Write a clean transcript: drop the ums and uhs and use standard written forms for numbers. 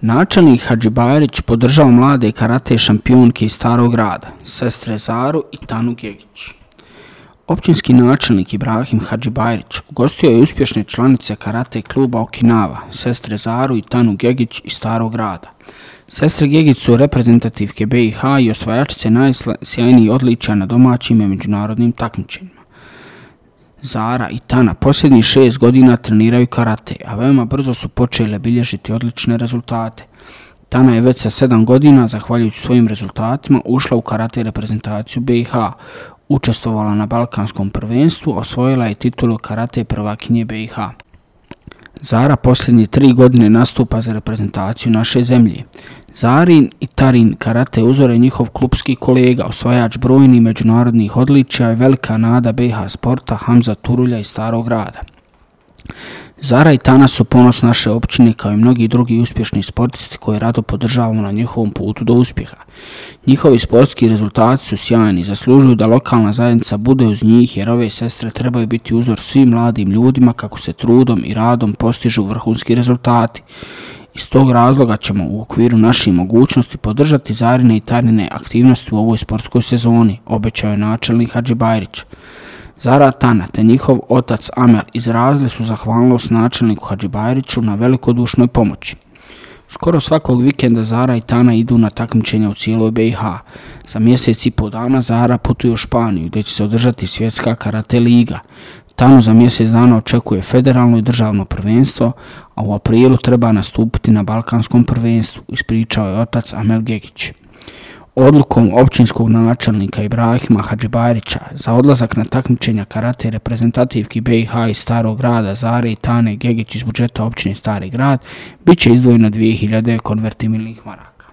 Načelnik Hadžibajrić podržao mlade karate šampionke iz Starog Grada, sestre Zaru i Tanu Gegić. Općinski načelnik Ibrahim Hadžibajrić ugostio je uspješne članice karate kluba Okinawa, sestre Zaru i Tanu Gegić iz Starog Grada. Sestre Gegić su reprezentativke BiH i osvajačice najsjajnijih odličja na domaćim i međunarodnim takmičenjima. Zara i Tana posljednjih 6 godina treniraju karate, a veoma brzo su počele bilježiti odlične rezultate. Tana je već sa 7 godina, zahvaljujući svojim rezultatima, ušla u karate reprezentaciju BiH, učestvovala na Balkanskom prvenstvu, osvojila je titulu karate prvakinje BiH. Zara posljednje 3 godine nastupa za reprezentaciju naše zemlje. Zarin i Tarin karate uzore njihov klubski kolega, osvajač brojnih međunarodnih odličja i velika nada BiH sporta Hamza Turulja iz Starog Grada. Zara i Tana su ponos naše općine kao i mnogi drugi uspješni sportisti koji rado podržavamo na njihovom putu do uspjeha. Njihovi sportski rezultati su sjajni i zaslužuju da lokalna zajednica bude uz njih jer ove sestre trebaju biti uzor svim mladim ljudima kako se trudom i radom postižu vrhunski rezultati. Iz tog razloga ćemo u okviru naših mogućnosti podržati Zarine i Tanine aktivnosti u ovoj sportskoj sezoni, obećao je načelnik Hadžibajrić. Zara Tana te njihov otac Amel izrazili su zahvalnost načelniku Hadžibajriću na velikodušnoj pomoći. Skoro svakog vikenda Zara i Tana idu na takmičenja u cijeloj BiH. Za mjesec i pol dana Zara putuje u Španiju gdje će se održati svjetska karate liga. Tanu za mjesec dana očekuje federalno i državno prvenstvo, a u aprilu treba nastupiti na Balkanskom prvenstvu, ispričao je otac Amel Gegić. Odlukom općinskog načelnika Ibrahima Hadžibajrića za odlazak na takmičenja karate reprezentativki BiH iz Starog Grada Zare i Tane Gegić iz budžeta općine Stari Grad bit će izdvojeno 2000 konvertibilnih maraka.